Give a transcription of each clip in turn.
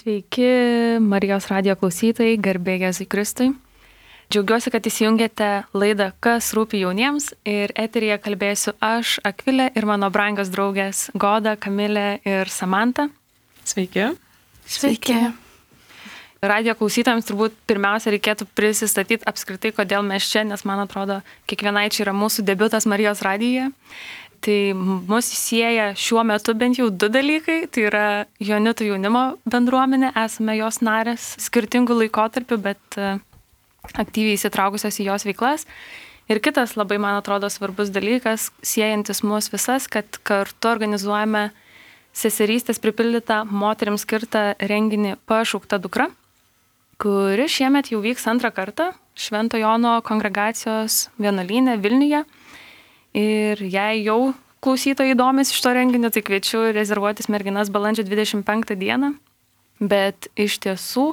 Sveiki, Marijos radijo klausytojai, garbė Jėzui Kristui. Džiaugiuosi, kad įsijungėte laidą Kas rūpi jauniems ir eteryje kalbėsiu aš, Akvilė, ir mano brangios draugės Goda, Kamilė ir Samanta. Sveiki. Sveiki. Radijo klausytojams turbūt pirmiausia reikėtų prisistatyti apskritai, kodėl mes čia, nes man atrodo, kiekvienai čia yra mūsų debiutas Marijos radijoje. Tai mus sieja šiuo metu bent jau du dalykai, tai yra Joanitų jaunimo bendruomenė, esame jos narės skirtingų laikotarpių, bet aktyviai įsitraukusios į jos veiklas. Ir kitas labai, man atrodo, svarbus dalykas, siejantis mus visas, kad kartu organizuojame seserystės pripildytą moterims skirtą renginį Pašaukta dukra, kuri šiemet jau vyks antrą kartą Švento Jono kongregacijos vienuolyne Vilniuje. Ir jei jau klausytojai domisi šito renginio, tai kviečiu rezervuotis merginas balandžio 25 dieną. Bet iš tiesų,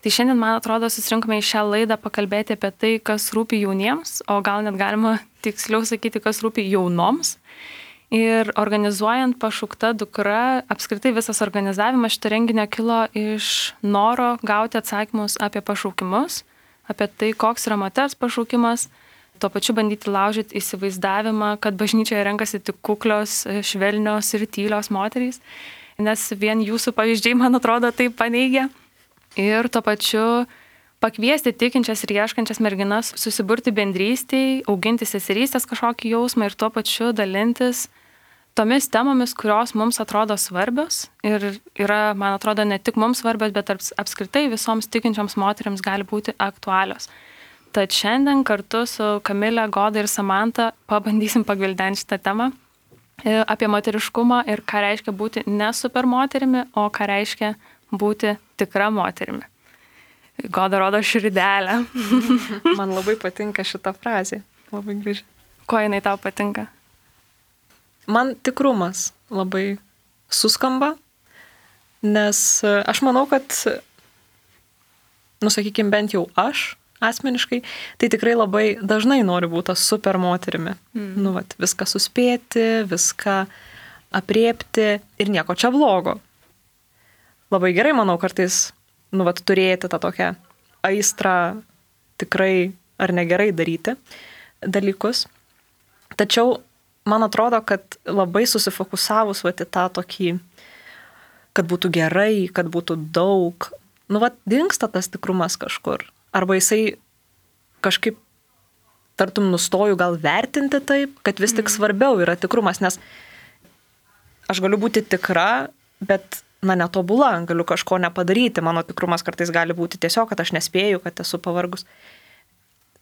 tai šiandien, man atrodo, susirinkome į šią laidą pakalbėti apie tai, kas rūpi jauniems, o gal net galima tiksliau sakyti, kas rūpi jaunoms. Ir organizuojant Pašaukta dukra, apskritai visas organizavimas šito renginio kilo iš noro gauti atsakymus apie pašaukimus, apie tai, koks yra moters pašaukimas, tuo pačiu bandyti laužyti įsivaizdavimą, kad bažnyčioje renkasi tik kuklios, švelnios ir tylios moterys, nes vien jūsų pavyzdžiai, man atrodo, tai paneigia. Ir tuo pačiu pakviesti tikinčias ir ieškančias merginas susiburti bendrystėj, auginti seserystės kažkokį jausmą ir tuo pačiu dalintis tomis temomis, kurios mums atrodo svarbios ir yra, man atrodo, ne tik mums svarbios, bet apskritai visoms tikinčioms moteriams gali būti aktualios. Tad šiandien kartu su Kamilė, Goda ir Samanta pabandysim pagvildenti šitą temą apie moteriškumą ir ką reiškia būti ne super moterimi, o ką reiškia būti tikra moterimi. Goda rodo širdelę. Man labai patinka šita frazė. Labai graži. Ko jinai tau patinka? Man tikrumas labai suskamba, nes aš manau, kad, sakykime, bent jau aš asmeniškai, tai tikrai labai dažnai noriu būti super moterimi. Viską suspėti, viską apriepti ir nieko čia blogo. Labai gerai, manau, kartais, turėti tą tokią aistrą tikrai ar negerai daryti dalykus. Tačiau man atrodo, kad labai susifokusavus į tą tokį, kad būtų gerai, kad būtų daug, dingsta tas tikrumas kažkur. Arba jisai kažkaip tartum nustoju gal vertinti taip, kad vis tik svarbiau yra tikrumas, nes aš galiu būti tikra, bet netobula, galiu kažko nepadaryti, mano tikrumas kartais gali būti tiesiog, kad aš nespėju, kad esu pavargus.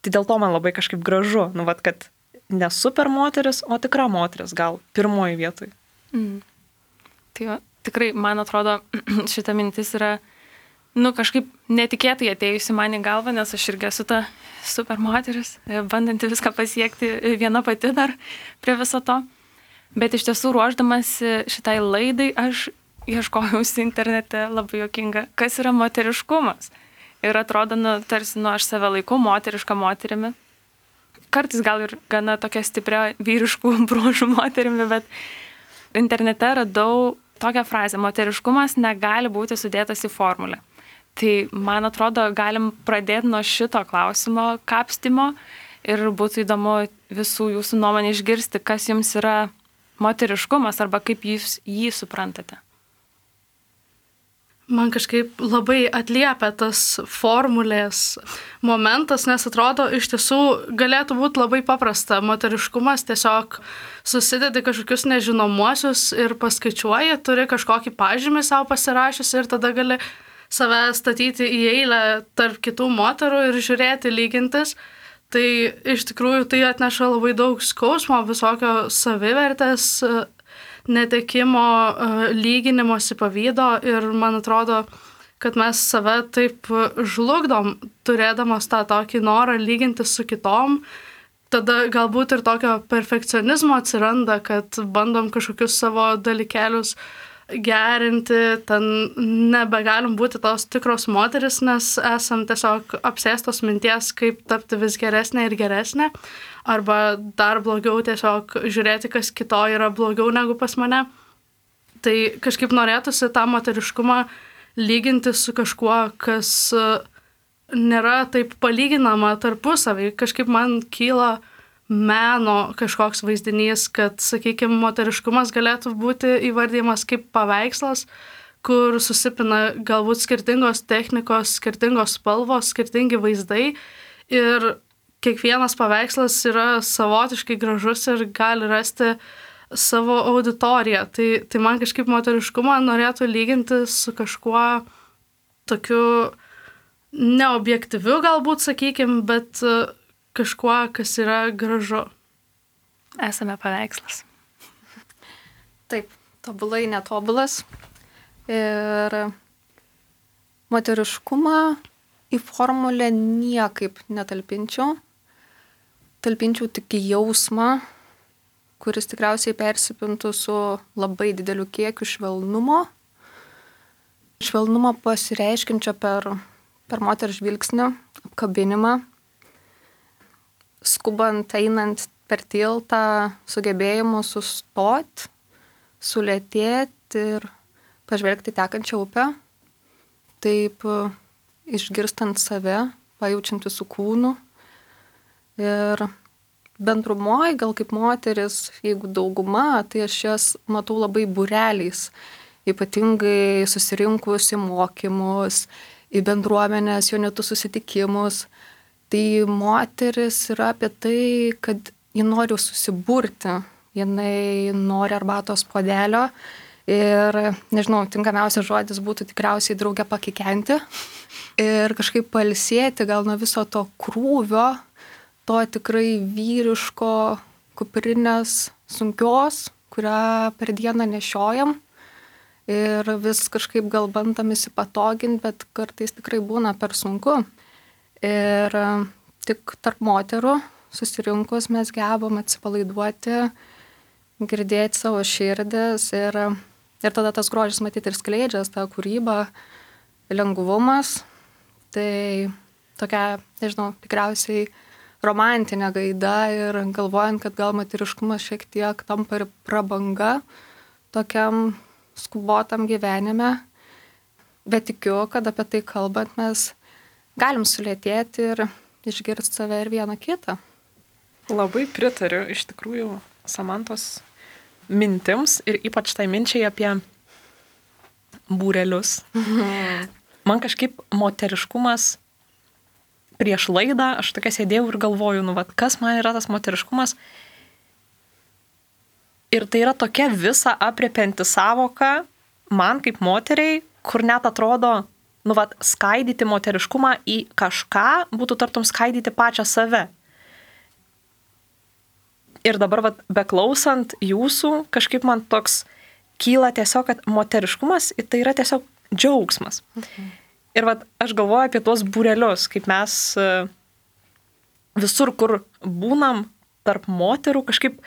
Tai dėl to man labai kažkaip gražu, kad ne super moteris, o tikra moteris gal pirmoji vietoj. Tai tikrai, man atrodo, šita mintis yra kažkaip netikėtai atėjusi man į galvą, nes aš irgi esu ta super moteris, bandanti viską pasiekti viena pati dar prie viso to. Bet iš tiesų, ruošdamasi šitai laidai, aš ieškojausi internete, labai juokinga, kas yra moteriškumas. Ir atrodo, tarsi, aš save laikau moterišką moterimi. Kartais gal ir gana tokia stipria vyriškų bruožų moterimi, bet internete radau tokią frazę: moteriškumas negali būti sudėtas į formulę. Tai, man atrodo, galim pradėti nuo šito klausimo kapstymo ir būtų įdomu visų jūsų nuomonę išgirsti, kas jums yra moteriškumas arba kaip jūs jį suprantate. Man kažkaip labai atliepia tas formulės momentas, nes atrodo, iš tiesų galėtų būti labai paprasta. Moteriškumas tiesiog susidedi kažkokius nežinomuosius ir paskaičiuoji, turi kažkokį pažymį savo pasirašius ir tada gali save statyti į eilę tarp kitų moterų ir žiūrėti, lygintis. Tai iš tikrųjų tai atneša labai daug skausmo, visokio savivertės, netekimo, lyginimosi, pavydo ir man atrodo, kad mes save taip žlugdom, turėdamas tą tokį norą lygintis su kitom. Tada galbūt ir tokio perfekcionizmo atsiranda, kad bandom kažkokius savo dalykėlius gerinti, ten nebegalim būti tos tikros moteris, nes esam tiesiog apsėstos minties, kaip tapti vis geresnė ir geresnė, arba dar blogiau tiesiog žiūrėti, kas kito yra blogiau negu pas mane. Tai kažkaip norėtųsi tą moteriškumą lyginti su kažkuo, kas nėra taip palyginama tarpusavį. Kažkaip man kyla meno kažkoks vaizdinys, kad, sakykime, moteriškumas galėtų būti įvardymas kaip paveikslas, kur susipina galbūt skirtingos technikos, skirtingos spalvos, skirtingi vaizdai ir kiekvienas paveikslas yra savotiškai gražus ir gali rasti savo auditoriją. Tai man kažkaip moteriškumą norėtų lyginti su kažkuo tokiu neobjektyviu galbūt, sakykime, bet kažkuo, kas yra gražu. Esame paveikslas. Taip, tobulai netobulas. Ir moteriškumą į formulę niekaip netalpinčiau. Talpinčiau tik jausmą, kuris tikriausiai persipintų su labai dideliu kiekiu švelnumo. Švelnumo pasireiškinčio per moters žvilgsnį, apkabinimą. Skubant, einant per tiltą, sugebėjimu sustoti, sulėtėti ir pažvelgti tekančią upę, taip išgirstant save, pajaučiant visų kūnų. Ir bendrumoje, gal kaip moteris, jeigu dauguma, tai aš jas matau labai būreliais, ypatingai susirinkus į mokymus, į bendruomenės, jaunitų susitikimus. Tai moteris yra apie tai, kad ji nori susiburti, jinai nori arbatos puodelio. Ir, nežinau, tinkamiausias žodis būtų tikriausiai draugę pakikenti ir kažkaip pailsėti gal nuo viso to krūvio, to tikrai vyriško kuprinės sunkios, kurią per dieną nešiojam ir vis kažkaip gal bandam įsipatoginti, bet kartais tikrai būna per sunku. Ir tik tarp moterų susirinkus mes gebam atsipalaiduoti, girdėti savo širdis ir tada tas grožis matyti ir skleidžias, ta kūryba, lengvumas. Tai tokia, nežinau, tikriausiai romantinė gaida ir galvojant, kad gal moteriškumas šiek tiek tampa ir prabanga tokiam skubotam gyvenime. Bet tikiu, kad apie tai kalbant mes galim sulėtėti ir išgirsti save ir vieną kitą. Labai pritariu iš tikrųjų Samantos mintims ir ypač tai minčiai apie būrelius. Man kažkaip moteriškumas prieš laidą, aš tokia sėdėjau ir galvoju, kas man yra tas moteriškumas. Ir tai yra tokia visa apriepianti savoka man kaip moteriai, kur net atrodo, skaidyti moteriškumą į kažką būtų tartum skaidyti pačią save. Ir dabar, beklausant jūsų, kažkaip man toks kyla tiesiog, kad moteriškumas tai yra tiesiog džiaugsmas. Ir aš galvoju apie tuos būrelius, kaip mes visur, kur būnam tarp moterų, kažkaip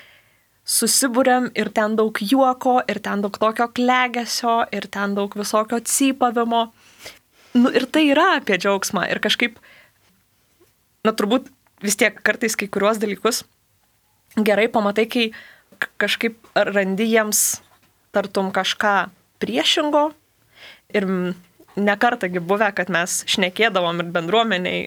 susibūrėm ir ten daug juoko, ir ten daug tokio klegesio, ir ten daug visokio cypavimo. Ir tai yra apie džiaugsmą. Ir kažkaip, turbūt vis tiek kartais kai kuriuos dalykus gerai pamatai, kai kažkaip randi jiems tartum kažką priešingo ir nekartagi buvę, kad mes šnekėdavom ir bendruomeniai,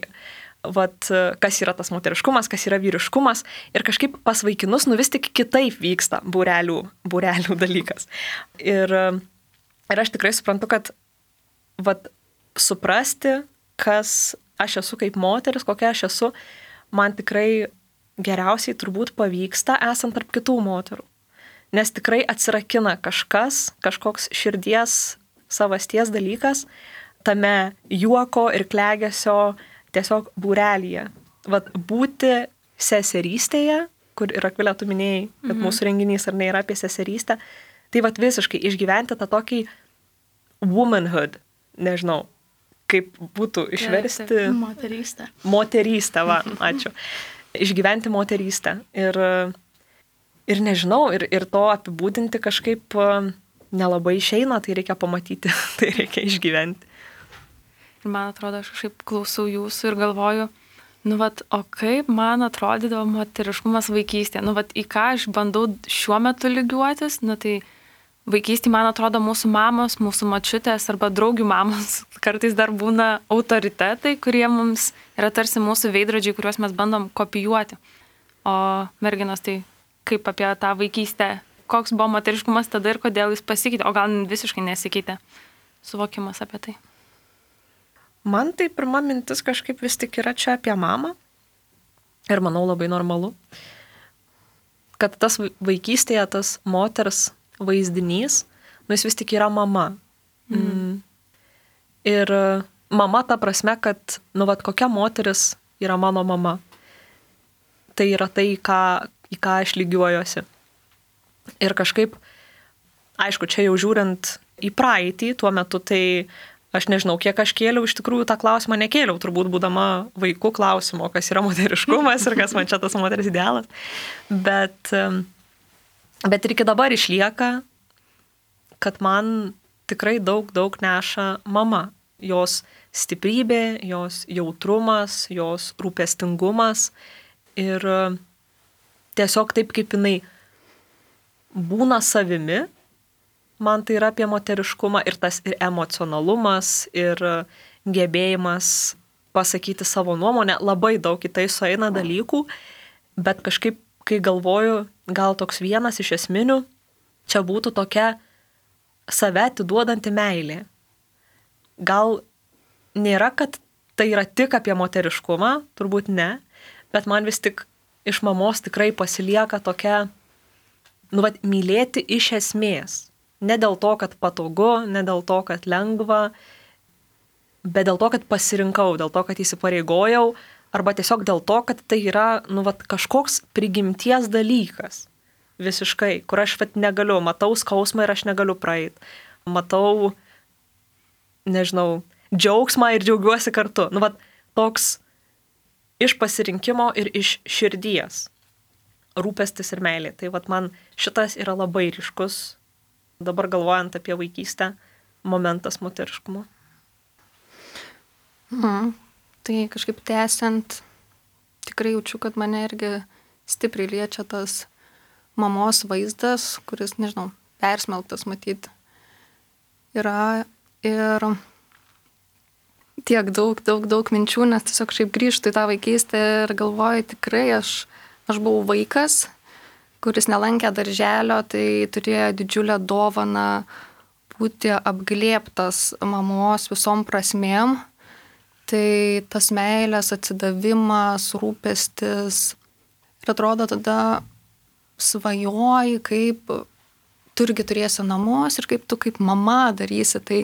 kas yra tas moteriškumas, kas yra vyriškumas ir kažkaip pas vaikinus vis tik kitaip vyksta būrelių dalykas. Ir aš tikrai suprantu, kad suprasti, kas aš esu kaip moteris, kokia aš esu, man tikrai geriausiai turbūt pavyksta esant tarp kitų moterų. Nes tikrai atsirakina kažkoks širdies savasties dalykas tame juoko ir klegesio tiesiog būrelyje. Būti seserystėje, kur ir Akvilė tu minėjai, kad mūsų renginys ar ne yra apie seserystę, tai visiškai išgyventi tą tokį womanhood, nežinau, kaip būtų išversti. Moterystę, ačiū. Išgyventi moterystę. Ir nežinau, ir to apibūdinti kažkaip nelabai išeina, tai reikia pamatyti, tai reikia išgyventi. Ir man atrodo, aš kažkaip klausau jūsų ir galvoju, o kaip man atrodydavo moteriškumas vaikystėje, į ką aš bandau šiuo metu lygiuotis, tai vaikystėje, man atrodo, mūsų mamos, mūsų močiutės arba draugių mamos kartais dar būna autoritetai, kurie mums yra tarsi mūsų veidrodžiai, kuriuos mes bandom kopijuoti. O merginos, tai kaip apie tą vaikystę, koks buvo moteriškumas tada ir kodėl jis pasikeitė, o gal visiškai nesikeitė suvokimas apie tai. Man tai pirma mintis kažkaip vis tik yra čia apie mamą. Ir manau labai normalu, kad tas vaikystėje, tas moters vaizdinys, jis vis tik yra mama. Ir mama ta prasme, kad, kokia moteris yra mano mama. Tai yra tai, į ką aš lygiuojuosi. Ir kažkaip, aišku, čia jau žiūrint į praeitį, tuo metu tai aš nežinau, kiek aš kėliau, iš tikrųjų tą klausimą nekėliau, turbūt būdama vaikų klausimo, kas yra moteriškumas ir kas man čia tas moters idealas. Bet ir iki dabar išlieka, kad man tikrai daug neša mama. Jos stiprybė, jos jautrumas, jos rūpestingumas ir tiesiog taip, kaip jinai būna savimi, man tai yra apie moteriškumą ir tas ir emocionalumas, ir gebėjimas pasakyti savo nuomonę, labai daug į tai sueina dalykų, bet kažkaip, kai galvoju, gal toks vienas iš esminių, čia būtų tokia save atiduodanti meilė. Gal nėra, kad tai yra tik apie moteriškumą, turbūt ne, bet man vis tik iš mamos tikrai pasilieka tokia, mylėti iš esmės. Ne dėl to, kad patogu, ne dėl to, kad lengva, bet dėl to, kad pasirinkau, dėl to, kad įsipareigojau, arba tiesiog dėl to, kad tai yra, kažkoks prigimties dalykas. Visiškai, kur aš negaliu, matau skausmą ir aš negaliu praeiti. Matau, nežinau, džiaugsmą ir džiaugiuosi kartu. Toks iš pasirinkimo ir iš širdies. Rūpestis ir meilė. Tai man šitas yra labai ryškus, dabar galvojant apie vaikystę, momentas moteriškumo. Tai kažkaip tęsiant, tikrai jaučiu, kad mane irgi stipriai liečia tas mamos vaizdas, kuris, nežinau, persmelktas matyti. Yra ir tiek daug minčių, nes tiesiog šiaip grįžtu į tą vaikystę ir galvoju, tikrai aš buvau vaikas, kuris nelankė darželio, tai turėjo didžiulę dovaną būti apglėbtas mamos visom prasmėm. Tai tas meilės atsidavimas, rūpestis. Ir atrodo tada svajoji, kaip tu irgi turėsi namus ir kaip tu kaip mama darysi. Tai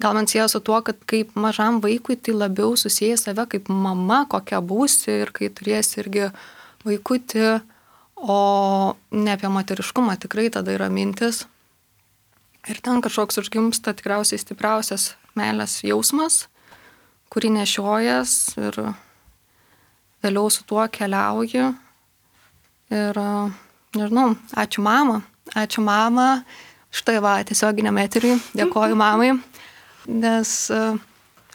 gal man sieja su tuo, kad kaip mažam vaikui tai labiau susiję save kaip mama, kokia būsi ir kai turėsi irgi vaikutį, o ne apie moteriškumą tikrai tada yra mintis. Ir ten kažkoks užgimsta tikriausiai stipriausias meilės jausmas, kurį nešiojas ir vėliau su tuo keliauji. Ir, nežinau, ačiū mama, štai tiesioginiam eteriui, dėkoju mamai, nes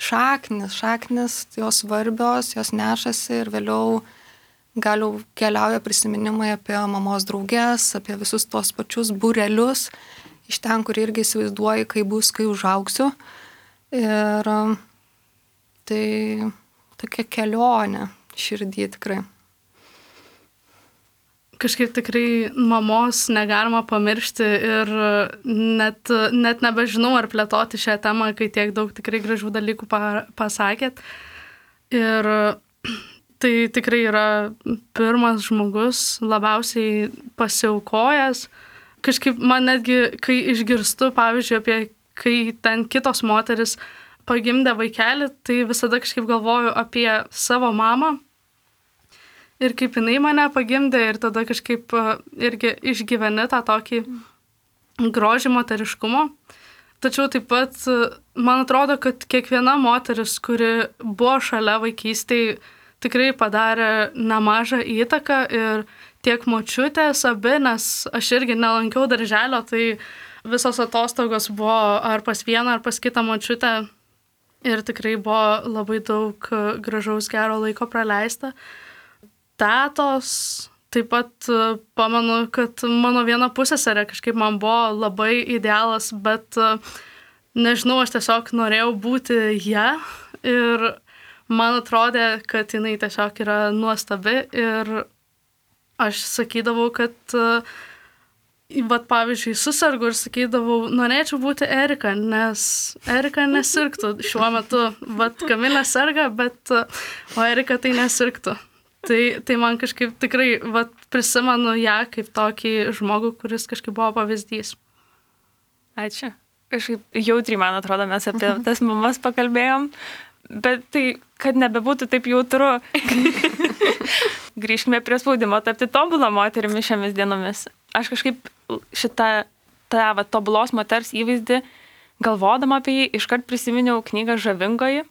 šaknis, jos svarbios, jos nešasi ir vėliau galiau keliauja prisiminimai apie mamos drauges, apie visus tos pačius būrelius, iš ten, kur irgi įsivaizduoju, kai bus, kai užaugsiu. Ir tai tokia kelionė širdį tikrai. Kažkaip tikrai mamos negalima pamiršti ir net nebežinau, ar plėtoti šią temą, kai tiek daug tikrai gražių dalykų pasakėt. Ir tai tikrai yra pirmas žmogus, labiausiai pasiaukojęs. Kažkaip man netgi, kai išgirstu, pavyzdžiui, apie kai ten kitos moteris pagimdė vaikelį, tai visada kažkaip galvoju apie savo mamą ir kaip jinai mane pagimdė ir tada kažkaip irgi išgyveni tą tokį grožį moteriškumo. Tačiau taip pat man atrodo, kad kiekviena moteris, kuri buvo šalia vaikystėje, tikrai padarė nemažą įtaką ir tiek močiutės abi, nes aš irgi nelankiau darželio, tai visos atostogos buvo ar pas vieną, ar pas kitą močiutę ir tikrai buvo labai daug gražaus gero laiko praleista. Tetos taip pat pamenu, kad mano viena pusseserė kažkaip man buvo labai idealas, bet nežinau, aš tiesiog norėjau būti ją ir man atrodė, kad jinai tiesiog yra nuostabi ir aš sakydavau, kad vat, pavyzdžiui, susirgu ir sakydavau, norėčiau būti Erika, nes Erika nesirgtų šiuo metu. Vat Kamilė serga, bet o Erika tai nesirgtų. Tai man kažkaip tikrai vat, prisimenu ją kaip tokį žmogų, kuris kažkaip buvo pavyzdys. Ačiū. Kažkaip jautriai, man atrodo, mes apie tas mamas pakalbėjom, bet tai, kad nebebūtų taip jautru. Grįžkime prie spaudimo tapti tobulą moterimi šiomis dienomis. Aš kažkaip šitą tobulos moters įvaizdį, galvodama apie jį, iškart prisiminiau knygą Žavingoji.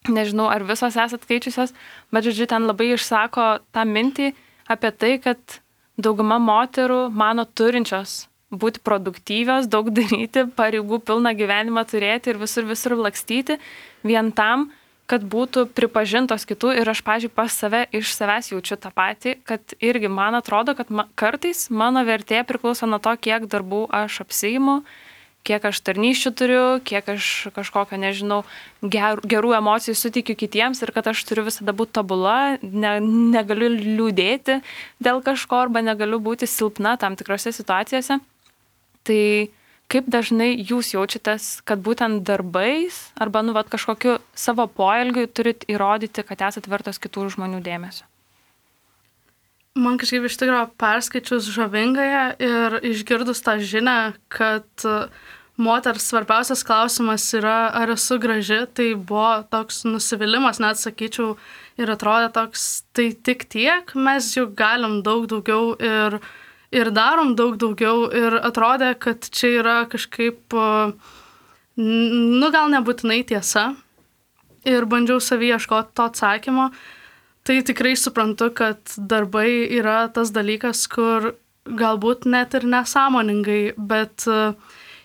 Nežinau, ar visos esat skaičiusios, bet žodžiu, ten labai išsako tą mintį apie tai, kad dauguma moterų mano turinčios būti produktyvios, daug daryti, pareigų pilną gyvenimą turėti ir visur lakstyti, vien tam, kad būtų pripažintos kitų ir aš, pavyzdžiui, pas save iš savęs jaučiu tą patį, kad irgi man atrodo, kad kartais mano vertė priklauso nuo to, kiek darbų aš apsiimu, kiek aš tarnysčių turiu, kiek aš kažkokio, nežinau, gerų emocijų suteikiu kitiems ir kad aš turiu visada būti tobula, negaliu liūdėti dėl kažko arba negaliu būti silpna tam tikrose situacijose. Tai kaip dažnai jūs jaučiatės, kad būtent darbais arba kažkokiu savo poelgiu turit įrodyti, kad esat vertos kitų žmonių dėmesio? Man kažkaip iš tikrųjų perskaičius Žavingąją ir išgirdus tą žinią, kad moters svarbiausias klausimas yra, ar esu graži, tai buvo toks nusivylimas, net sakyčiau, ir atrodė toks, tai tik tiek, mes juk galim daug daugiau ir darom daug daugiau ir atrodė, kad čia yra kažkaip, gal nebūtinai tiesa ir bandžiau savy ieškoti to atsakymo. Tai tikrai suprantu, kad darbai yra tas dalykas, kur galbūt net ir nesąmoningai, bet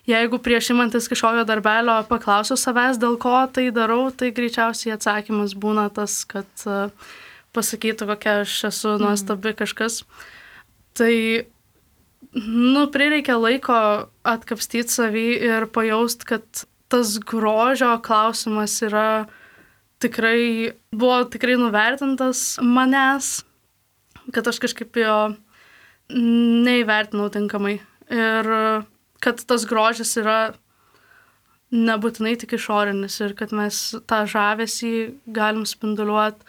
jeigu prieš imantis kažkokio darbelio paklausiu savęs, dėl ko tai darau, tai greičiausiai atsakymas būna tas, kad pasakytų, kokia aš esu nuostabi kažkas. Tai prireikia laiko atkapstyti savį ir pajaust, kad tas grožio klausimas buvo tikrai nuvertintas manęs, kad aš kažkaip jo neįvertinau tinkamai. Ir kad tas grožis yra nebūtinai tik išorinis ir kad mes tą žavesį galim spinduliuoti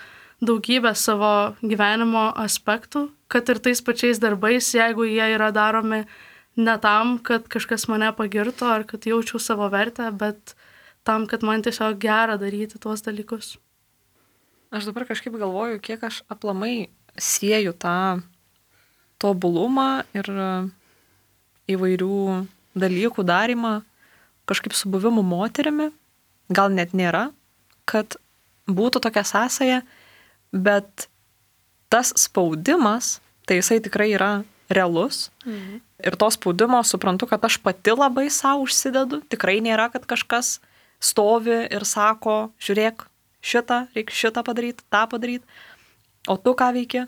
daugybę savo gyvenimo aspektų, kad ir tais pačiais darbais, jeigu jie yra daromi ne tam, kad kažkas mane pagirtų ar kad jaučiau savo vertę, bet tam, kad man tiesiog gera daryti tuos dalykus. Aš dabar kažkaip galvoju, kiek aš aplamai sieju tą tobulumą ir įvairių dalykų darymą kažkaip su buvimu moterimi. Gal net nėra, kad būtų tokia sąsaja, bet tas spaudimas, tai jisai tikrai yra realus. Ir to spaudimo suprantu, kad aš pati labai savo užsidedu. Tikrai nėra, kad kažkas stovi ir sako, žiūrėk, reikia šitą padaryti, tą padaryti. O tu ką veiki?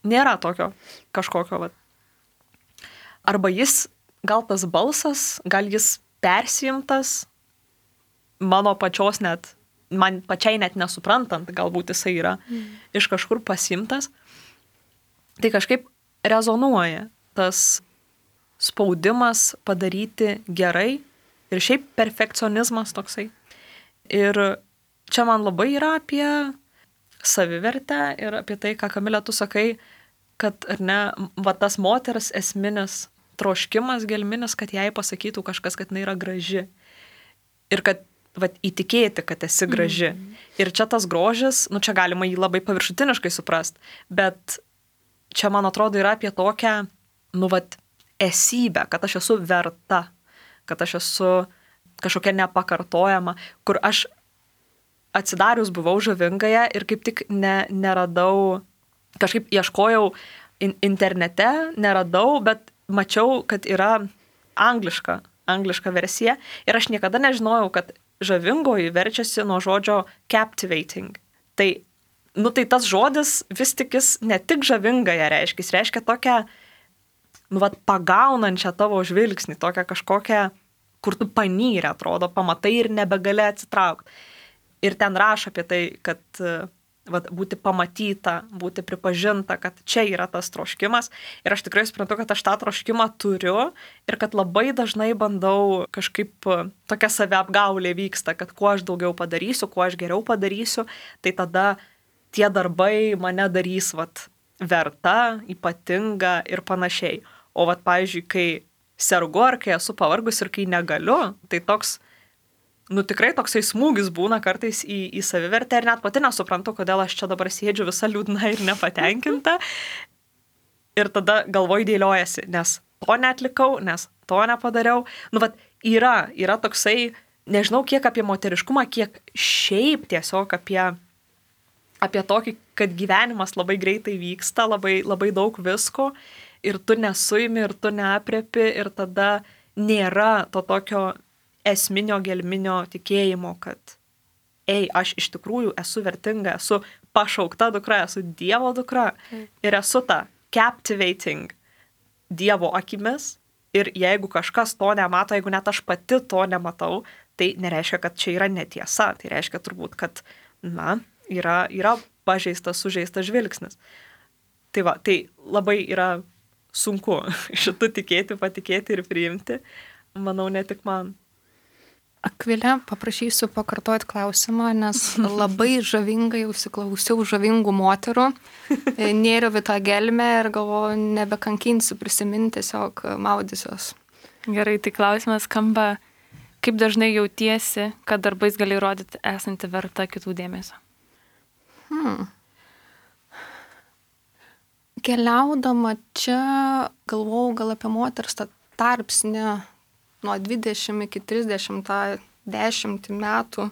Nėra tokio kažkokio. Arba jis, gal tas balsas, gal jis persijimtas, mano pačios man pačiai net nesuprantant, galbūt jisai yra iš kažkur pasimtas. Tai kažkaip rezonuoja tas spaudimas padaryti gerai ir šiaip perfekcionizmas toksai. Ir čia man labai yra apie savivertę ir apie tai, ką Kamilė tu sakai, kad ar ne, tas moters esminis troškimas gelminis, kad jai pasakytų kažkas, kad jinai yra graži. Ir kad įtikėti, kad esi graži. Ir čia tas grožis, čia galima jį labai paviršutiniškai suprast, bet čia, man atrodo, yra apie tokią, esybę, kad aš esu verta, kad aš esu kažkokia nepakartojama, kur aš atsidarius buvau Žavingąją ir kaip tik neradau, kažkaip ieškojau internete, neradau, bet mačiau, kad yra angliška versija ir aš niekada nežinojau, kad Žavingoji verčiasi nuo žodžio captivating. Tai nu tai tas žodis vis tik jis ne tik žavingąją reiškia, jis reiškia tokią, nu vat, pagaunančią tavo žvilgsnį, tokią kažkokią, kur tu panyrė, atrodo, pamatai ir nebegali atsitraukti. Ir ten rašo apie tai, kad vat, būti pamatyta, būti pripažinta, kad čia yra tas troškimas. Ir aš tikrai suprantu, kad aš tą troškimą turiu ir kad labai dažnai bandau kažkaip tokia saviapgaulė vyksta, kad kuo aš daugiau padarysiu, kuo aš geriau padarysiu, tai tada tie darbai mane darys vat, verta, ypatinga ir panašiai. O vat, pavyzdžiui, kai sergu ar kai esu pavargus ir kai negaliu, tai toks, nu tikrai toksai smūgis būna kartais į savivertę ir net pati nesuprantu, kodėl aš čia dabar sėdžiu visa liūdna ir nepatenkinta. Ir tada galvoj dėliojasi, nes to neatlikau, nes to nepadariau. Nu, vat, yra toksai, nežinau kiek apie moteriškumą, kiek šiaip tiesiog apie tokį, kad gyvenimas labai greitai vyksta, labai, labai daug visko ir tu nesuimi, ir tu neapriepi ir tada nėra to tokio esminio gelminio tikėjimo, kad aš iš tikrųjų esu vertinga, esu pašaukta dukra, esu Dievo dukra ir esu ta captivating Dievo akimis ir jeigu kažkas to nemato, jeigu net aš pati to nematau, tai nereiškia, kad čia yra netiesa, tai reiškia turbūt, kad, na, yra pažeistas, sužeistas žvilgsnis. Tai va, tai labai yra sunku šitų tikėti, patikėti ir priimti, manau, ne tik man. Akvilė, paprašysiu pakartoti klausimą, nes labai žavingai užsiklausiau žavingų moterų, nėriau į tą gelmę ir galvoju, nebekankinsiu prisiminti, tiesiog maudysiuos. Gerai, tai klausimas skamba, kaip dažnai jautiesi, kad darbais gali rodyti esanti verta kitų dėmesio? Keliaudama čia galvojau gal apie moters tą tarpsnį nuo 20 iki 30 metų,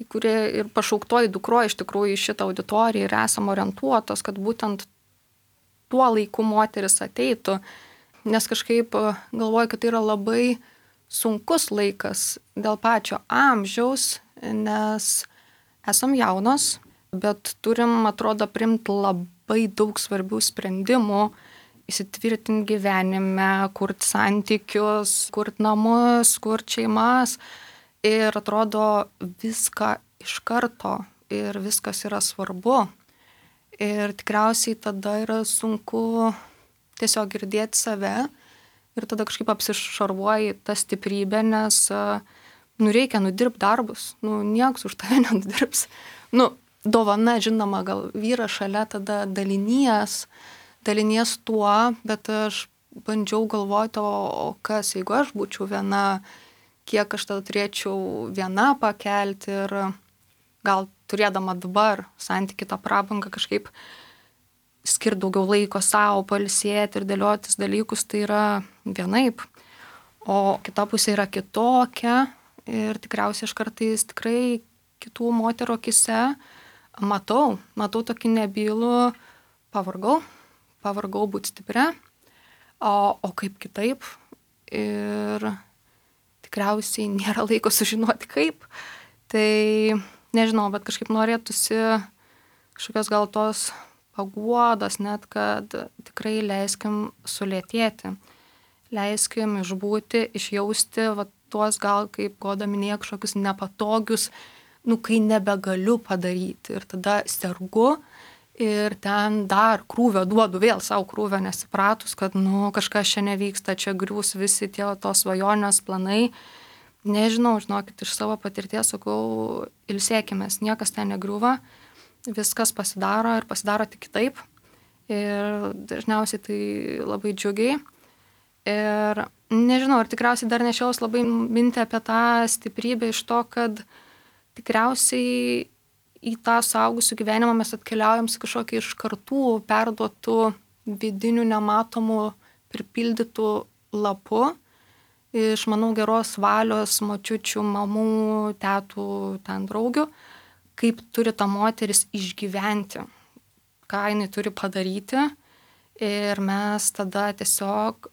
į kurį ir pašauktoji dukro iš tikrųjų į šitą auditoriją ir esam orientuotos, kad būtent tuo laiku moteris ateitų, nes kažkaip galvoju, kad tai yra labai sunkus laikas dėl pačio amžiaus, nes esam jaunos, bet turim, atrodo, priimti labai daug svarbių sprendimų, įsitvirtinti gyvenime, kurti santykius, kurti namus, kurti šeimas ir atrodo viską iš karto ir viskas yra svarbu. Ir tikriausiai tada yra sunku tiesiog girdėti save ir tada kažkaip apsišarvuoji tą stiprybę, nes reikia nudirbti darbus, nieks už tave nenudirbs. Dovana, žinoma, gal vyras šalia tada dalinies tuo, bet aš bandžiau galvoti, o kas, jeigu aš būčiau viena, kiek aš tada turėčiau viena pakelti ir gal turėdama dabar santyki tą prabangą kažkaip skirti daugiau laiko savo, pailsėti ir dėliotis dalykus, tai yra vienaip. O kita pusė yra kitokia ir tikriausiai aš kartais tikrai kitų moterų akise matau tokį nebylų, pavargau būti stipria, o kaip kitaip ir tikriausiai nėra laiko sužinoti kaip. Tai nežinau, bet kažkaip norėtųsi kažkokios gal tos paguodos net, kad tikrai leiskim sulėtėti, leiskim išbūti, išjausti tuos gal, kaip Goda minėjo, kažkokius nepatogius, kai nebegaliu padaryti ir tada sergu ir ten dar krūvio duodu, vėl savo krūvio nesipratus, kad kažkas čia nevyksta, čia griūs visi tie tos svajonės planai. Nežinau, žinokit, iš savo patirties sakau, ilsėkimės, niekas ten negriūva, viskas pasidaro ir pasidaro tik kitaip ir dažniausiai tai labai džiugiai. Ir nežinau, ir tikriausiai dar nešiaus labai mintį apie tą stiprybę iš to, kad tikriausiai į tą suaugusių gyvenimą mes atkeliaujam su kažkokiu iš kartų perduotų vidinių nematomų pripildytų lapu iš, manau, geros valios močiučių, mamų, tetų, ten draugių, kaip turi ta moteris išgyventi, ką jinai turi padaryti ir mes tada tiesiog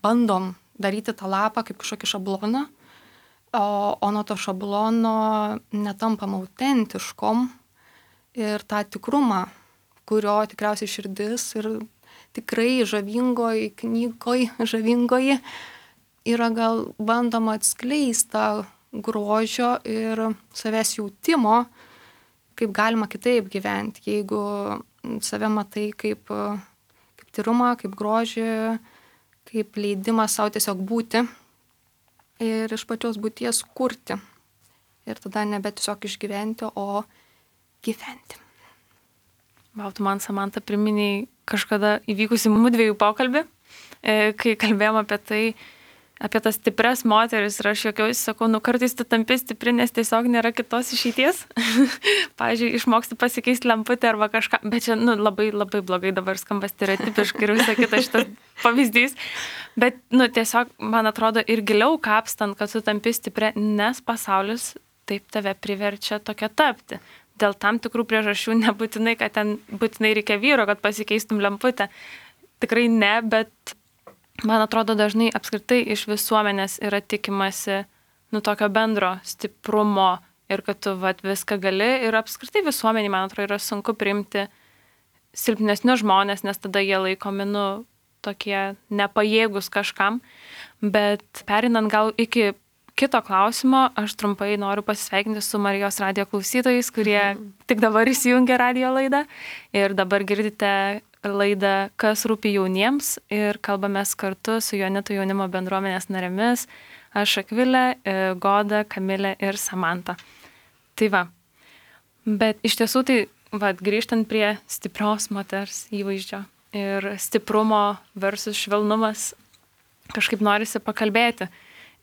bandom daryti tą lapą kaip kažkokį šabloną, o nuo to šablono netampam autentiškom ir tą tikrumą, kurio tikriausiai širdis ir tikrai žavingoji yra gal bandoma atskleisti tą grožio ir savęs jautimo, kaip galima kitaip gyventi, jeigu save matai kaip tyrumą, kaip grožį, kaip leidimą savo tiesiog būti ir iš pačios būties kurti. Ir tada nebe tiesiog išgyventi, o gyventi. Tu man, Samanta, priminiai kažkada įvykusi mudviejų pokalbį, kai kalbėjom apie tas stipres moteris ir aš juokiausi, sakau, kartais tu tampi stipri, nes tiesiog nėra kitos išeities. Pavyzdžiui, išmoksti pasikeisti lemputę arba kažką, bet čia labai, labai blogai dabar skamba stereotipiškai ir visą kitą šitas pavyzdys. Bet tiesiog, man atrodo, ir giliau kapstant, kad tu tampi stipri, nes pasaulis taip tave priverčia tokia tapti. Dėl tam tikrų priežasčių nebūtinai, kad ten būtinai reikia vyro, kad pasikeistum lemputę. Tikrai ne, bet man atrodo dažnai apskritai iš visuomenės yra tikimasi tokio bendro stiprumo ir kad tu viską gali ir apskritai visuomeniai, man atrodo, yra sunku priimti silpnesnius žmonės, nes tada jie laikomi tokie nepajėgus kažkam. Bet perinant gal iki kito klausimo, aš trumpai noriu pasisveikinti su Marijos radijo klausytojais, kurie tik dabar įsijungia radijo laidą ir dabar girdite laidą Kas rūpi jauniems ir kalbamės kartu su Joanitų jaunimo bendruomenės narėmis, aš Akvilė, Goda, Kamilė ir Samanta. Tai va, bet iš tiesų tai grįžtant prie stiprios moters įvaizdžio ir stiprumo versus švelnumas, kažkaip norisi pakalbėti.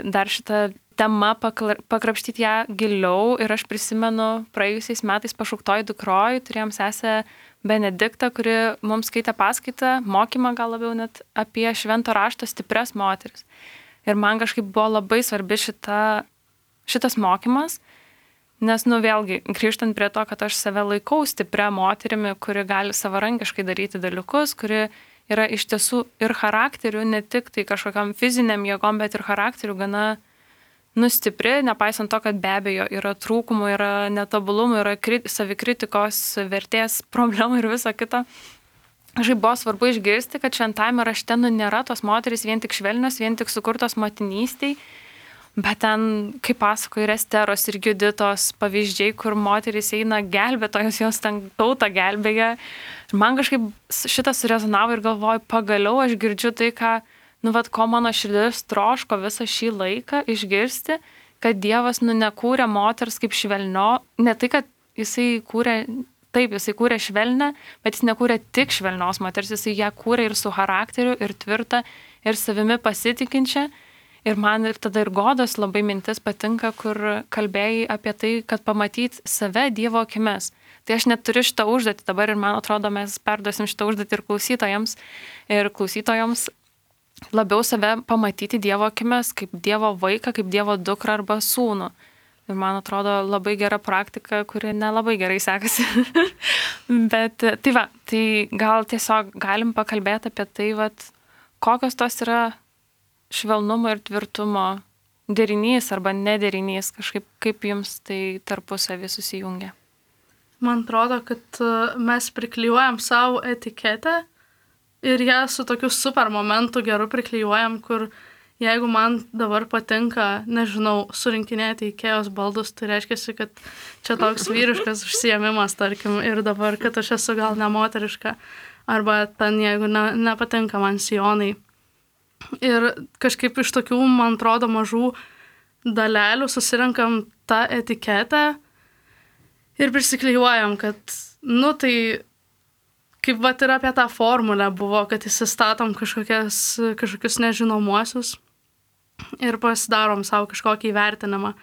Dar šitą temą pakrapštyti ją giliau ir aš prisimenu praėjusiais metais Pašauktoj dukroj, turėjom sesę Benediktą, kuri mums skaitė paskaitą, mokymą gal labiau net apie švento rašto stipres moteris. Ir man kažkaip buvo labai svarbi šitas mokymas, nes vėlgi, grįžtant prie to, kad aš save laikau stipria moterimi, kuri gali savarankiškai daryti dalykus, kuri yra iš tiesų ir charakteriu, ne tik tai kažkokiam fiziniam jėgom, bet ir charakteriu gana stipri, nepaisant to, kad be abejo yra trūkumų, yra netobulumų, yra savikritikos, vertės problemų ir viso kito. Kažkaip buvo svarbu išgirsti, kad šventajame rašte nėra tos moterys vien tik švelnios, vien tik sukurtos motinystiai, bet ten, kaip pasako, ir Esteros, ir Juditos pavyzdžiai, kur moterys eina gelbėtojos, jos ten tautą gelbėja. Ir man kažkaip šitas surezonavo ir galvoju, pagaliau aš girdžiu tai, ko mano širdis troško visą šį laiką išgirsti, kad Dievas nekūrė moters kaip švelnio, ne tai, kad jisai kūrė švelnę, bet jis nekūrė tik švelnios moters, jisai ją kūrė ir su charakteriu, ir tvirtą, ir savimi pasitikinčią. Ir man ir tada ir Godos labai mintis patinka, kur kalbėjai apie tai, kad pamatyti save Dievo akimis. Tai aš net turiu šitą užduotį dabar ir man atrodo, mes perduosim šitą užduotį ir klausytojoms labiau save pamatyti Dievo akimis, kaip Dievo vaiką, kaip Dievo dukrą arba sūnų. Ir man atrodo labai gera praktika, kuri nelabai gerai sekasi. Bet tai gal tiesiog galim pakalbėti apie tai, kokios tos yra švelnumo ir tvirtumo derinys arba nederinys, kažkaip kaip jums tai tarpusavį susijungia. Man atrodo, kad mes priklijuojam savo etiketę ir ją su tokiu super momentu geru priklijuojam, kur jeigu man dabar patinka, nežinau, surinkinėti Ikėjos baldus, tai reiškia, kad čia toks vyriškas užsiėmimas, tarkim, ir dabar, kad aš esu gal nemoteriška, arba ten, jeigu nepatinka man sijonai. Ir kažkaip iš tokių, man atrodo, mažų dalelių susirenkam tą etiketę ir prisiklijuojam, kad, tai kaip ir apie tą formulę buvo, kad įsistatom kažkokius nežinomuosius ir pasidarom savo kažkokį įvertinimą.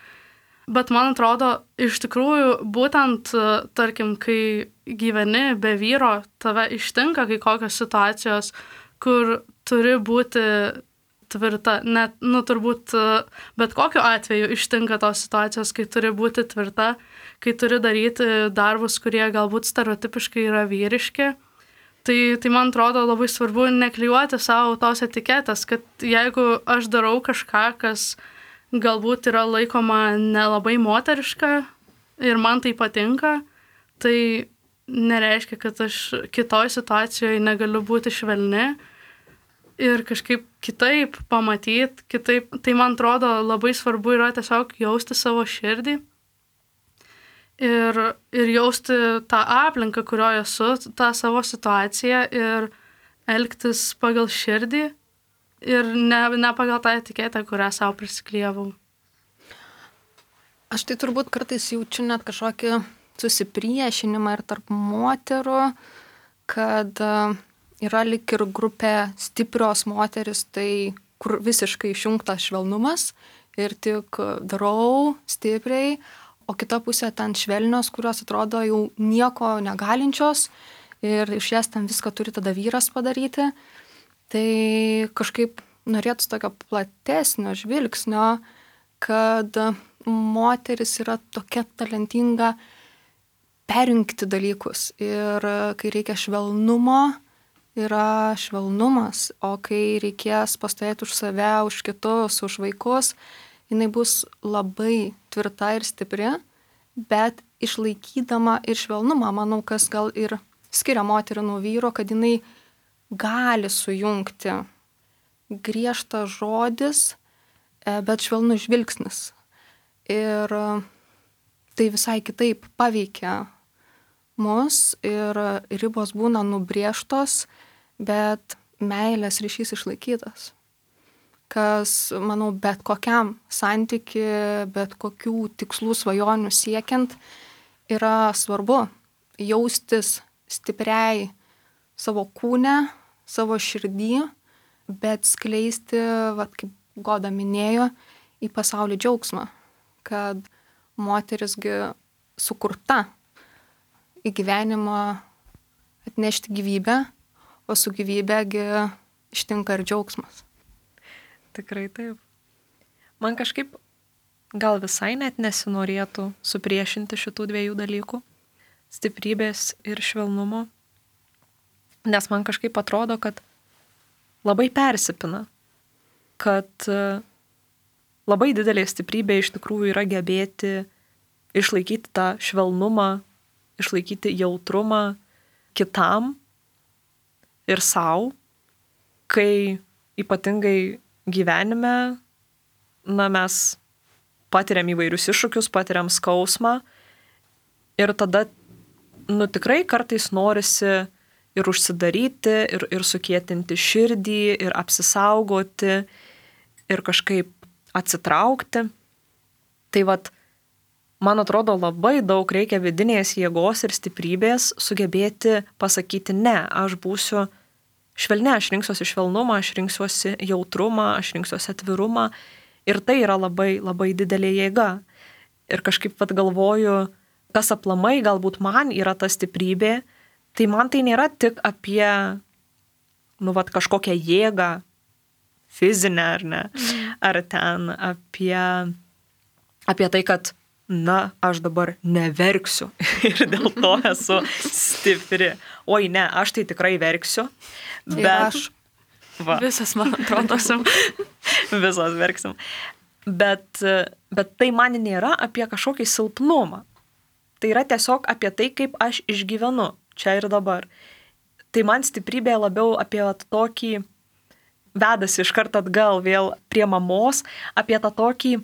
Bet man atrodo, iš tikrųjų, būtent, tarkim, kai gyveni be vyro, tave ištinka kai kokios situacijos, kur turi būti tvirta, net, turbūt, bet kokiu atveju ištinka tos situacijos, kai turi būti tvirta, kai turi daryti darbus, kurie galbūt stereotipiškai yra vyriški. Tai man atrodo labai svarbu neklijuoti savo tos etiketės, kad jeigu aš darau kažką, kas galbūt yra laikoma nelabai moteriška ir man tai patinka, tai nereiškia, kad aš kitoj situacijoje negaliu būti švelni ir kažkaip kitaip pamatyti, kitaip. Tai man atrodo labai svarbu yra tiesiog jausti savo širdį ir jausti tą aplinką, kurioje esu, tą savo situaciją ir elgtis pagal širdį ir ne pagal tą etiketę, kurią savo prisiklijavau. Aš tai turbūt kartais jaučiu net kažkokį susipriešinimą ir tarp moterų, kad yra lik ir grupė stiprios moteris, tai kur visiškai išjungtas švelnumas ir tik darau stipriai, o kita pusė ten švelnios, kurios atrodo jau nieko negalinčios ir iš jas ten viską turi tada vyras padaryti. Tai kažkaip norėtų tokio platesnio žvilgsnio, kad moteris yra tokia talentinga perjungti dalykus ir kai reikia švelnumo, yra švelnumas, o kai reikės pastovėti už save, už kitus, už vaikus, jinai bus labai tvirta ir stipri, bet išlaikydama ir švelnumą, manau, kas gal ir skiria moterį nuo vyro, kad jinai gali sujungti griežtas žodis, bet švelnus žvilgsnis. Ir tai visai kitaip paveikia mus ir ribos būna nubrėžtos, bet meilės ryšys išlaikytas. Kas, manau, bet kokiam santyki, bet kokių tikslų svajonių siekiant yra svarbu jaustis stipriai savo kūne, savo širdį, bet skleisti, kaip Goda minėjo, į pasaulį džiaugsmą, kad moterisgi sukurta į gyvenimą atnešti gyvybę, o su gyvybėgi ištinka ir džiaugsmas. Tikrai taip. Man kažkaip gal visai net nesinorėtų supriešinti šitų dviejų dalykų, stiprybės ir švelnumo, nes man kažkaip atrodo, kad labai persipina, kad labai didelė stiprybė iš tikrųjų yra gebėti išlaikyti tą švelnumą, išlaikyti jautrumą kitam ir sau, kai ypatingai gyvenime, mes patiriam įvairius iššūkius, patiriam skausmą ir tada, tikrai kartais norisi ir užsidaryti, ir sukietinti širdį, ir apsisaugoti, ir kažkaip atsitraukti. Tai man atrodo, labai daug reikia vidinės jėgos ir stiprybės sugebėti pasakyti ne, aš būsiu švelni, aš rinksiuosi švelnumą, aš rinksiuosi jautrumą, aš rinksiuosi atvirumą ir tai yra labai, labai didelė jėga. Ir kažkaip galvoju, kas aplamai galbūt man yra ta stiprybė, tai man tai nėra tik apie, kažkokią jėgą, fizinę ar ne, ar ten apie tai, kad, aš dabar neverksiu ir dėl to esu stipri. Oi, ne, aš tai tikrai verksiu, bet... Visas, man atrodo, visos verksim. Bet tai man nėra apie kažkokį silpnumą. Tai yra tiesiog apie tai, kaip aš išgyvenu čia ir dabar. Tai man stiprybė labiau apie tokį, vedasi iš karto atgal vėl prie mamos, apie tą tokį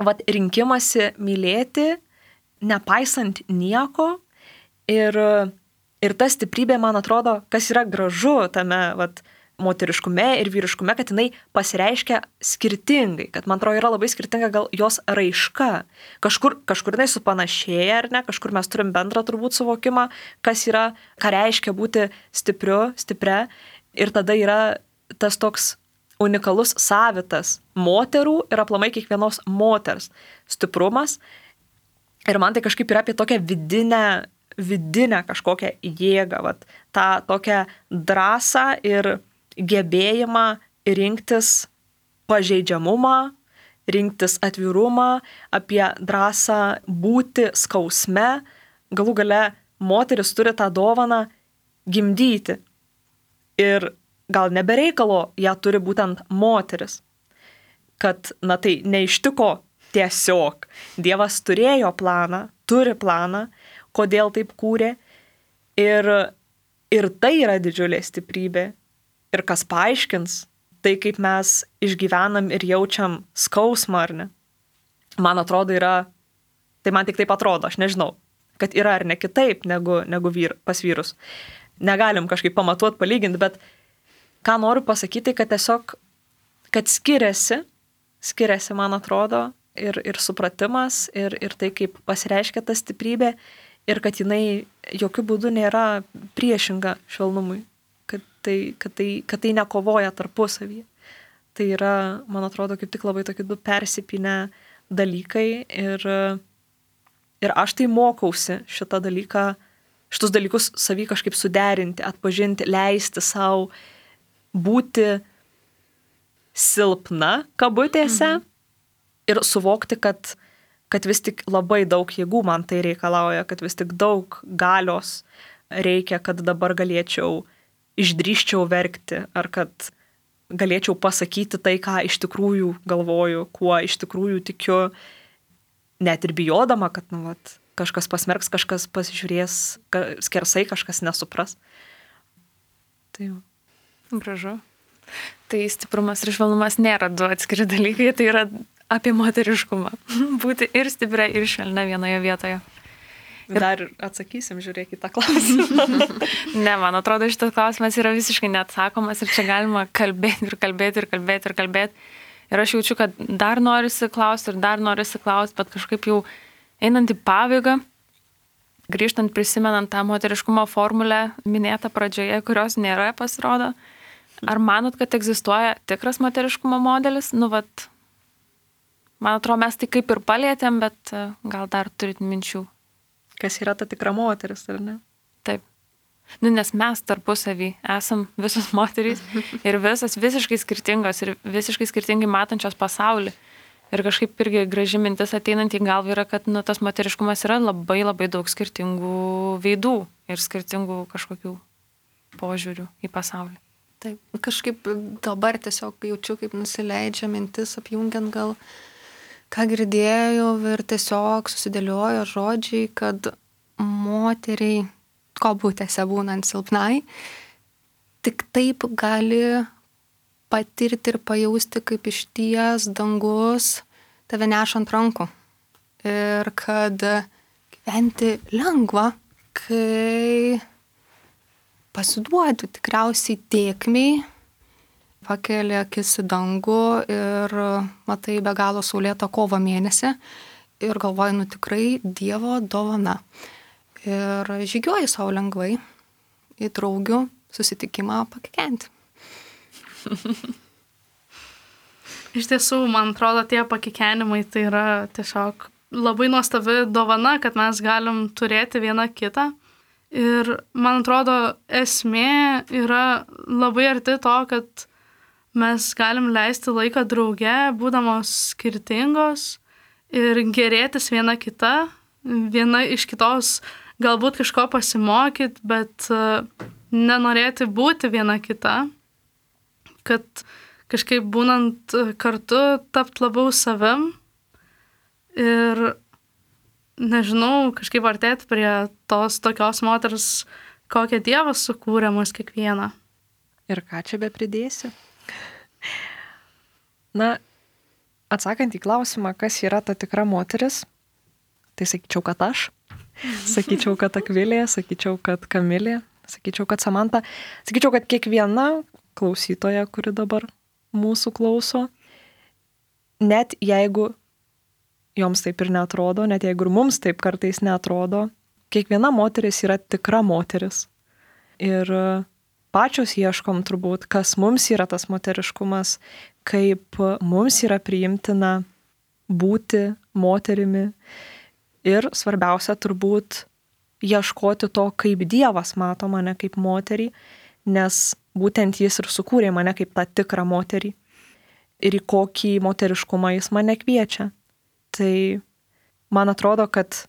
rinkimąsi mylėti, nepaisant nieko. Ir ta stiprybė, man atrodo, kas yra gražu tame moteriškume ir vyriškume, kad jinai pasireiškia skirtingai, kad man atrodo yra labai skirtinga gal jos raiška. Kažkur jinai supanašėja, ar ne, kažkur mes turim bendrą turbūt suvokimą, kas yra, ką reiškia būti stipria. Ir tada yra tas toks unikalus savitas moterų ir aplamai kiekvienos moters stiprumas. Ir man tai kažkaip yra apie tokią vidinę kažkokią jėgą, tą tokią drąsą ir gebėjimą rinktis pažeidžiamumą, rinktis atvirumą, apie drąsą būti skausme. Galų gale moteris turi tą dovaną gimdyti. Ir gal nebereikalo ją turi būtent moteris. Kad, tai neištiko tiesiog. Dievas turėjo planą, turi planą, kodėl taip kūrė, Ir tai yra didžiulė stiprybė. Ir kas paaiškins, tai kaip mes išgyvenam ir jaučiam skausmą, ar ne? Man atrodo tai man tik taip atrodo, aš nežinau, kad yra ar ne kitaip negu pas vyrus. Negalim kažkaip pamatuot, palyginti, bet ką noriu pasakyti, kad tiesiog, kad skiriasi, man atrodo, ir supratimas, ir tai, kaip pasireiškia ta stiprybė, ir kad jinai jokių būdų nėra priešinga švelnumui, kad tai nekovoja tarpusavyje. Tai yra, man atrodo, kaip tik labai tokie du persipinę dalykai ir aš tai mokausi šitus dalykus savy kažkaip suderinti, atpažinti, leisti savo būti silpna kabutėse ir suvokti, kad vis tik labai daug jėgų man tai reikalauja, kad vis tik daug galios reikia, kad dabar išdrįsčiau verkti, ar kad galėčiau pasakyti tai, ką iš tikrųjų galvoju, kuo iš tikrųjų tikiu, net ir bijodama, kad kažkas pasmerks, kažkas pasižiūrės skersai, kažkas nesupras. Tai jau. Gražu. Tai stiprumas ir švelnumas nėra du atskiri dalykai, tai yra apie moteriškumą. Būti ir stipria, ir švelnia vienoje vietoje. Dar atsakysim, žiūrėk į tą klausimą. Ne, man atrodo, šitas klausimas yra visiškai neatsakomas ir čia galima kalbėti. Ir aš jaučiu, kad dar norisi klausti, bet kažkaip jau einant į pabaigą, grįžtant prisimenant tą moteriškumo formulę minėtą pradžioje, kurios nėra, pasirodo, ar manot, kad egzistuoja tikras moteriškumo modelis? Man atrodo, mes tai kaip ir palietėm, bet gal dar turit minčių. Kas yra ta tikra moteris, ar ne? Taip. Nes mes tarpusavy esam visos moterys ir visas visiškai skirtingos ir visiškai skirtingai matančios pasaulį. Ir kažkaip irgi graži mintis ateinant į galvą yra, kad tas moteriškumas yra labai labai daug skirtingų veidų ir skirtingų kažkokių požiūrių į pasaulį. Taip, kažkaip dabar tiesiog jaučiu, kaip nusileidžia mintis, apjungiant gal ką girdėjau ir tiesiog susidėliojo žodžiai, kad moteriai, kabutėse būnant silpnai, tik taip gali patirti ir pajausti, kaip išties dangus tave neša ant rankų. Ir kad gyventi lengva, kai pasiduodi tikriausiai tėkmei, pakeli akis į dangų ir matai be galo saulėtą kovo mėnesį ir galvoji, tikrai Dievo dovana. Ir žygiuoji savo lengvai į draugių susitikimą pakikenti. Iš tiesų, man atrodo, tie pakikenimai tai yra tiesiog labai nuostabi dovana, kad mes galim turėti vieną kitą. Ir man atrodo, esmė yra labai arti to, kad mes galim leisti laiką drauge, būdamos skirtingos ir gerėtis viena kita, viena iš kitos galbūt kažko pasimokyti, bet nenorėti būti viena kita, kad kažkaip būnant kartu tapt labiau savim ir, nežinau, kažkaip artėti prie tos tokios moters, kokią Dievas sukūrė mus kiekvieną. Ir ką čia be pridėsi? Atsakant į klausimą, kas yra ta tikra moteris, tai sakyčiau, kad aš, sakyčiau, kad Akvilė, sakyčiau, kad Kamilė, sakyčiau, kad Samanta, sakyčiau, kad kiekviena klausytoja, kuri dabar mūsų klauso, net jeigu joms taip ir neatrodo, net jeigu ir mums taip kartais neatrodo, kiekviena moteris yra tikra moteris. Ir pačios ieškom turbūt, kas mums yra tas moteriškumas, kaip mums yra priimtina būti moterimi. Ir svarbiausia turbūt ieškoti to, kaip Dievas mato mane kaip moterį, nes būtent jis ir sukūrė mane kaip tą tikrą moterį. Ir į kokį moteriškumą jis mane kviečia. Tai man atrodo, kad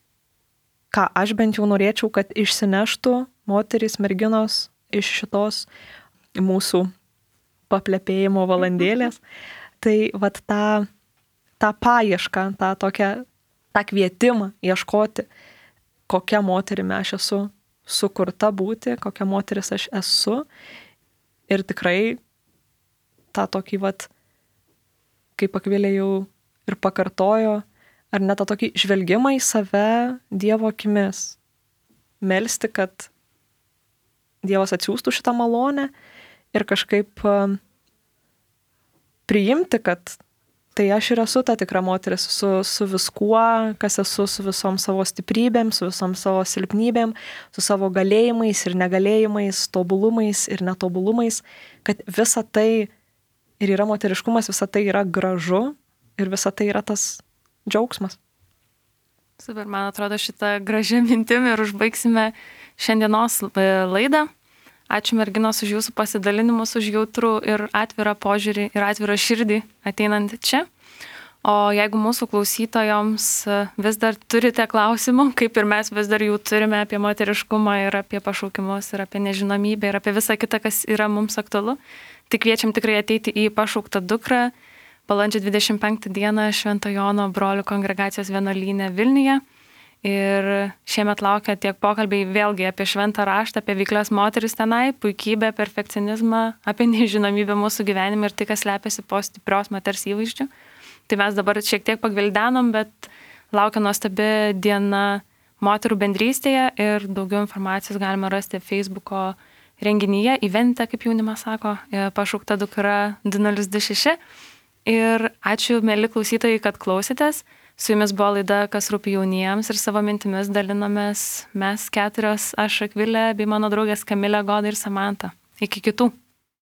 ką aš bent jau norėčiau, kad išsineštų moterys, merginos iš šitos mūsų paplepėjimo valandėlės, tai tą paiešką, tą kvietimą ieškoti, kokia moterimi aš esu sukurta būti, kokia moteris aš esu. Ir tikrai tą tokį, kaip Akvilė jau ir pakartojo, ar net tą tokį žvelgimą į save Dievo akimis. Melsti, kad Dievas atsiųstų šitą malonę ir kažkaip priimti, kad tai aš ir esu ta tikra moteris su viskuo, kas esu, su visom savo stiprybėm, su visom savo silpnybėm, su savo galėjimais ir negalėjimais, tobulumais ir netobulumais, kad visa tai ir yra moteriškumas, visa tai yra gražu ir visa tai yra tas džiaugsmas. Super, man atrodo šitą gražią mintim ir užbaigsime šiandienos laidą. Ačiū merginos už jūsų pasidalinimus, už jautrų ir atvirą požiūrį ir atvirą širdį ateinant čia. O jeigu mūsų klausytojoms vis dar turite klausimų, kaip ir mes vis dar jų turime apie moteriškumą ir apie pašaukimus ir apie nežinomybę ir apie visą kitą, kas yra mums aktualu, tai kviečiam tikrai ateiti į Pašauktą dukrą balandžio 25 dieną Švento Jono brolių kongregacijos vienuolyne Vilniuje. Ir šiemet laukia tiek pokalbiai vėlgi apie šventą raštą, apie veiklias moteris tenai, puikybę, perfekcionizmą, apie nežinomybę mūsų gyvenime ir tai, kas slepiasi po stiprios moters įvaizdžių. Tai mes dabar šiek tiek pagvildenom, bet laukia nuostabi diena moterų bendrystėje ir daugiau informacijos galima rasti Facebooko renginyje, evente, kaip jaunimas sako, Pašaukta dukra 2026. Ir ačiū, mėly klausytojai, kad klausėtės. Su jumis buvo laida Kas rūpi jauniems ir savo mintimis dalinomės mes keturios, aš Akvilė bei mano draugės Kamilė, Goda ir Samanta. Iki kitų.